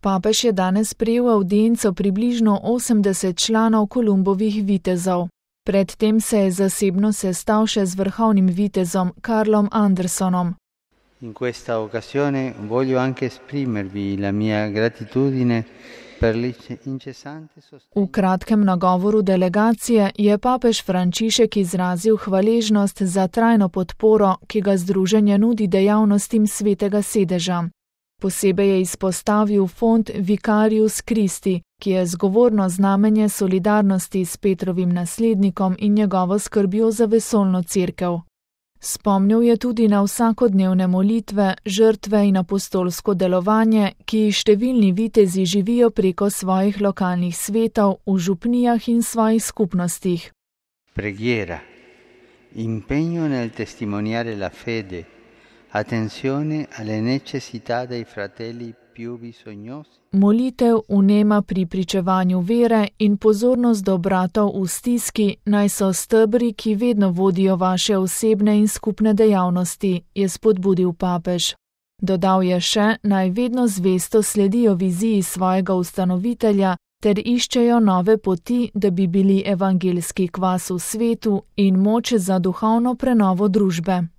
Papež je danes sprejel avdienco približno 80 članov Kolumbovih vitezov. Predtem se je zasebno sestal še z vrhovnim vitezom Carlom Andersonom. In questa occasione voglio anche esprimervi la mia gratitudine per l'incessante sostegno. V kratkem nagovoru delegacije je papež Frančišek izrazil hvaležnost za trajno podporo, ki ga združenje nudi dejavnostim Svetega sedeža. Posebej je izpostavil fond Vicarius Christi, ki je zgovorno znamenje solidarnosti s Petrovim naslednikom in njegovo skrbjo za vesoljno cerkev. Spomnil je tudi na vsakodnevne molitve, žrtve in apostolsko delovanje, ki jih številni vitezi živijo preko svojih lokalnih svetov v župnijah in svojih skupnostih. Preghiera, impegno nel testimoniare la fede, attenzione alle necessità dei fratelli più bisognosi. Molitev, vnema pri pričevanju vere in pozornost do bratov v stiski naj so stebri, ki vedno vodijo vaše osebne in skupne dejavnosti, je spodbudil papež. Dodal je še, naj vedno zvesto sledijo viziji svojega ustanovitelja ter iščejo nove poti, da bi bili evangeljski kvas v svetu in moč za duhovno prenovo družbe.